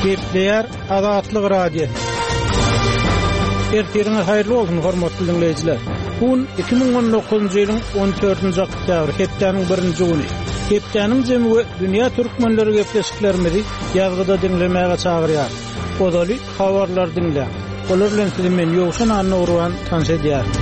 Gepleýär Azatlyk Radiosy. Ertiriňiz haýyrly bolsun, hormatly diňleýjiler. Bu gün 2019-njy ýylyň 14-nji oktýabry, hepdäniň birinji güni. Hepdäniň jemi we dünýä türkmenleri gepleşiklerimizi ýazgyda diňlemäge çagyrýar. Ozaly habarlary diňläň. Olar bilen sizi men Ýowşan Annagurban tanyş edýärin.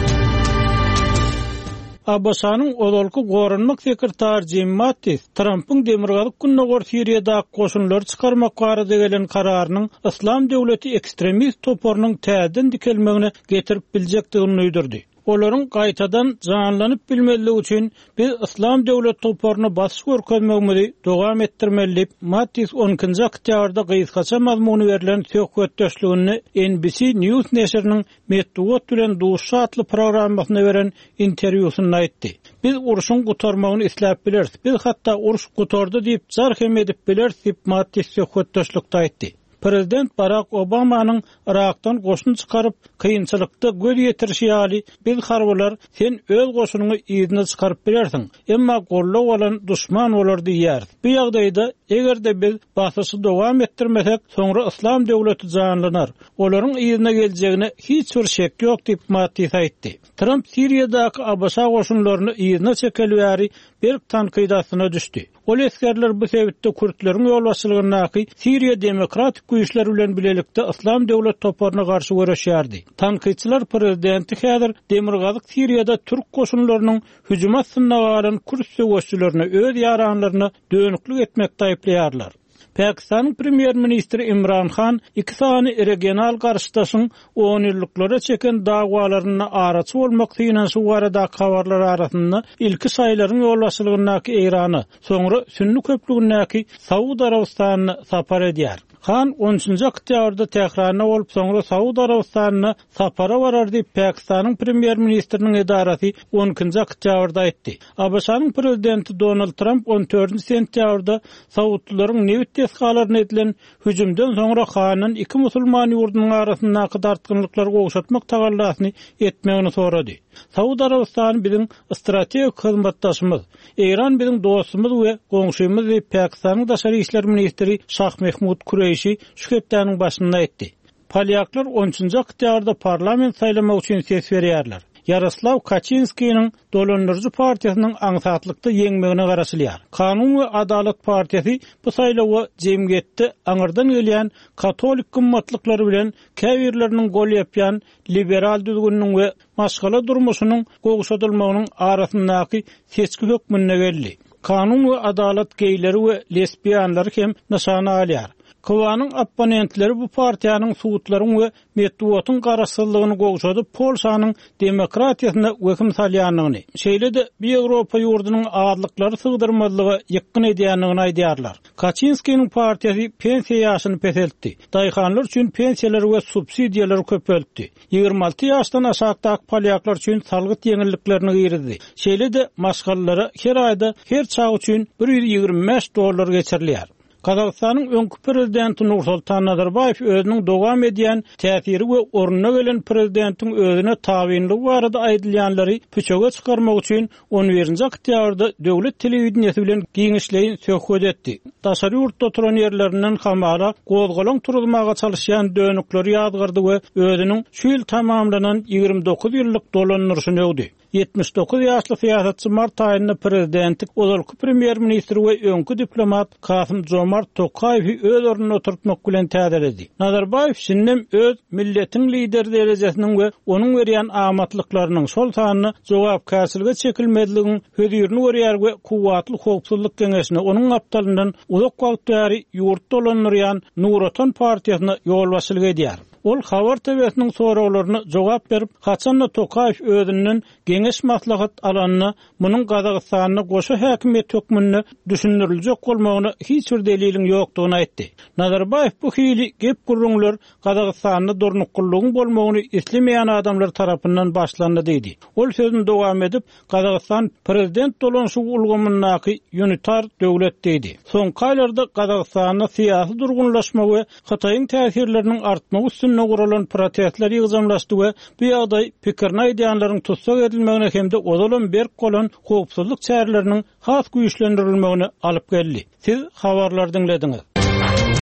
ABŞ-nyň ozalky goranmak sekretary Jim Mattis Trampyň demirgazyk-gündogar Siriýadaky goşunlary çykarmak barada gelen kararynyň Yslam döwleti ekstremist toparynyň täzeden dikelmegine getirip biljekdigini duýdurdy. Olaryň gaýtadan janlanyp bilmezligi üçin biz Yslam döwlet toparyna basyş görkezmegimizi dowam etdirmeli diýip, Mattis on ikinji oktýabrda gysgaça mazmuny berlen söhbetdeşliginde NBC News neşiriniň Metbugat bilen duşuşy atly programmasynda beren interwýusynda aýtdy. Biz urşuň gutarmagyny isläp bileris, biz hatda uruş gutardy diýip jar hem edip bileris diýip, Mattis söhbetdeşlikde aýtdy. Prezident Barak Obamanyň Yrakdan goşun çykaryp, kynçylykda göz ýetirişi ýaly, biz harbylar sen öz goşunyňy yzyna çykaryp bilersiň, emma goldaw alan duşman bolar diýýäris. Bu ýagdaýda, eger-de biz basyşy dowam etdirmesek, soňra Yslam döwleti janlanar. Olaryň yzyna geljegine hiç bir şek ýok diýip, Mattis aýtdy. Tramp Siriýadaky ABŞ goşunlaryny yzyna çekeli bäri berk tankyt astyna düşdi. Ol esgerler bu sebitde kürtleriň ýolbaşçylygyndaky Siriýa demokratik güýçleri bilen bilelikde Yslam döwlet toparyna garşy göreşýärdi. Tankytçylar prezidenti häzir demirgazyk Siriýada türk goşunlarynyň hüjümi astynda galan kürt söweşçilerine öz ýaranlaryna dönüklik etmekde aýyplaýarlar. Pakistanyň premýer-ministri Imran Han iki sany regional garşydaşyň onýyllyklara çeken dawalarynda araçy bolmak synanyşygy baradaky habarlar arasynda ilki şaýylaryň ýolbaşçylygyndaky Eýrana, soňra sünni köplügindäki Saud Arabystanyna sapar edýär. Han on üçünji oktýabrda Tähranda bolup, soňra Saud Arabystanyna sapara barar diýip, Pakistanyň premýer-ministriniň edarasy on ikinji oktýabrda aýtdy. ABŞ-nyň prezidenti Donald Tramp on dördünji sentýabrda saudlylaryň nebit desgalaryna edilen hüjümden soňra Handan iki musulman ýurdunyň arasyndaky dartgynlyklary gowşatmak tagallasyny etmegini sorady. Saud Arabystany biziň strategik hyzmatdaşymyz. Eýran biziň dostumyz we goňşymyz diýip, Pakistanyň daşary işler ministri Şah Mehmud Kureýşi şu hepdäniň başynda aýtdy. Polýaklar on üçünji oktýabrda parlament saýlamak üçin ses berýärler. Ýaroslaw Kaçinskiniň dolandyryjy partiýasynyň aňsatlykda ýeňmegine garaşylýar. Kanun we adalat partiýasy bu saýlawa jemgyýetde aňyrdan gelýän katolik gymmatlyklary bilen käbirleriniň gol ýapýan liberal düzgüniniň we maşgala durmuşynyň gowşadylmagynyň arasyndaky seçgi hökmünde geldi. Kanun we adalat geýleri we lesbianlary hem nyşana alýar. Kwanyň opponentleri bu partiýanyň sudlaryň we metbugatyň garaşsyzlygyny gowşadyp, Polşanyň demokratiýasyna wehim salýandygyny, şeýle-de bu ýewropa ýurdunyň azlyklary sygdyrmazlyga ýykgyn edýändigini aýdýarlar. Kaçinskiniň partiýasy pensiýa ýaşyny peseltdi, daýhanlar üçin pensiýalary we subsidiýalary köpeltdi, 26 ýaşdan aşakdaky polýaklar üçin salgyt ýeňilliklerini girizdi, şeýle-de maşgalalara her aýda her çaga üçin 125 dollar geçirilýär. Gazagystanyň öňki prezidenti Nursultan Nazarbaýew özüniň dowam edýän täsiri we ornuna gelen prezidentiň özüne tabynlygy barada aýdylýanlary püçege çykarmak üçin on birinji oktýabrda döwlet telewideniýesi bilen giňişleýin söhbet etdi. Daşary ýurtda oturan ýerlerinden hamala gozgalaň turuzmaga çalyşýan dönükleri ýazgardy we özüniň şu ýyl tamamlanan 29 ýyllyk dolandyryşyny öwdi. 79 ýaşly syýasatçy mart aýynda prezidentlik ozalky premýer-ministr we öňki diplomat Kasym Jomart Tokaýewi öz ornuna oturtmak bilen täzeledi. Nazarbaýew şindem öz milletiň lideri derejesiniň we onuň berýän amatlyklarynyň, şol sanda jogapkärçilige çekilmezligiň hözirini görýär we kuwwatly howpsuzlyk geňeşine, onuň gapdalyndan uzak wagt bäri ýurdy dolandyrýan Nur Otan partiýasyna ýolbaşçylyk edýär. Ol Habar TW-siniň soraglaryna jogap berip, haçan-da Tokaýew özünden geňeş-maslahat alanda, munuň Gazagystanda goşa häkimiýet hökmünde düşündiriljek bolmagyna hiç bir deliliň ýokdugyny aýtdy. Nazarbaýew bu hili gep-gürrüňler Gazagystanda durnuklylygyň bolmagyny islemeýän adamlar tarapyndan başlandy diýdi. Ol sözüni dowam edip, Gazagystan prezident dolanşygy ulgamyndaky unitar döwlet diýdi. Soňky aýlarda Gazagystanda syýasy durgunlaşma we Hytaýyň täsirleriniň artmagy üstünde guralan protestler ýygjamlaşdy we bu ýagdaý pikirini aýdýanlaryň tussag edilmegine hem-de ozalam berk bolan howpsuzlyk çäreleriniň has güýçlendirilmegine alyp geldi. Siz habarlary diňlediňiz.